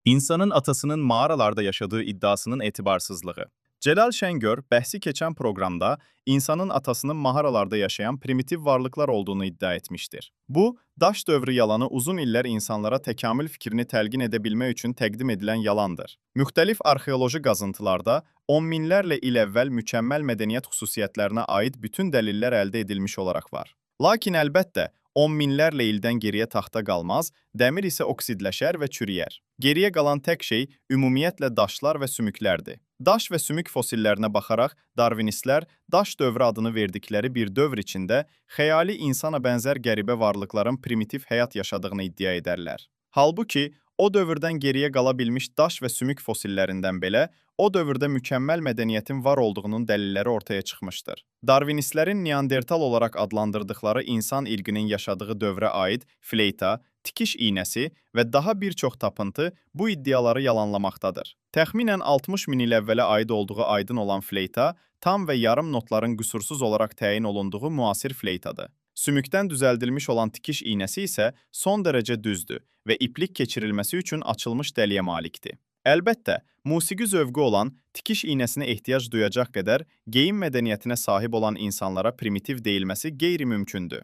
İnsanın atasının mağaralarda yaşadığı iddiasının etibarsızlığı. Celal Şengör, bəhsi keçən proqramda insanın atasının mağaralarda yaşayan primitiv varlıqlar olduğunu iddia etmişdir. Bu, daş dövrü yalanı uzun illər insanlara təkamül fikrini təlqin edə bilmək üçün təqdim edilən yalandır. Müxtəlif arxeoloji qazıntılarda on minlərlə il əvvəl mükəmməl mədəniyyət xüsusiyyətlərinə aid bütün dəlillər əldə edilmiş olaraq var. Lakin əlbəttə, on minlərlə ildən geriyə taxta qalmaz, dəmir isə oksidləşər və çürüyər. Geriyə qalan tək şey ümumiyyətlə daşlar və sümüklərdir. Daş və sümük fosillərinə baxaraq darvinistlər daş dövrü adını verdikləri bir dövr içində xəyali insana bənzər qəribə varlıqların primitiv həyat yaşadığını iddia edərlər. Halbuki, o dövrdən geriyə qala bilmiş daş və sümük fosillərindən belə, o dövrdə mükəmməl mədəniyyətin var olduğunun dəlilləri ortaya çıxmışdır. Darvinistlərin Neandertal olaraq adlandırdıqları insan irqinin yaşadığı dövrə aid fleyta, tikiş iynəsi və daha bir çox tapıntı bu iddiaları yalanlamaqdadır. Təxminən 60 min il əvvələ aid olduğu aydın olan fleyta, tam və yarım notların qüsursuz olaraq təyin olunduğu müasir fleytadır. Sümükdən düzəldilmiş olan tikiş iynəsi isə son dərəcə düzdür və iplik keçirilməsi üçün açılmış dəliyə malikdir. Əlbəttə, musiqi zövqü olan, tikiş iynəsinə ehtiyac duyacaq qədər geyim mədəniyyətinə sahib olan insanlara primitiv deyilməsi qeyri-mümkündür.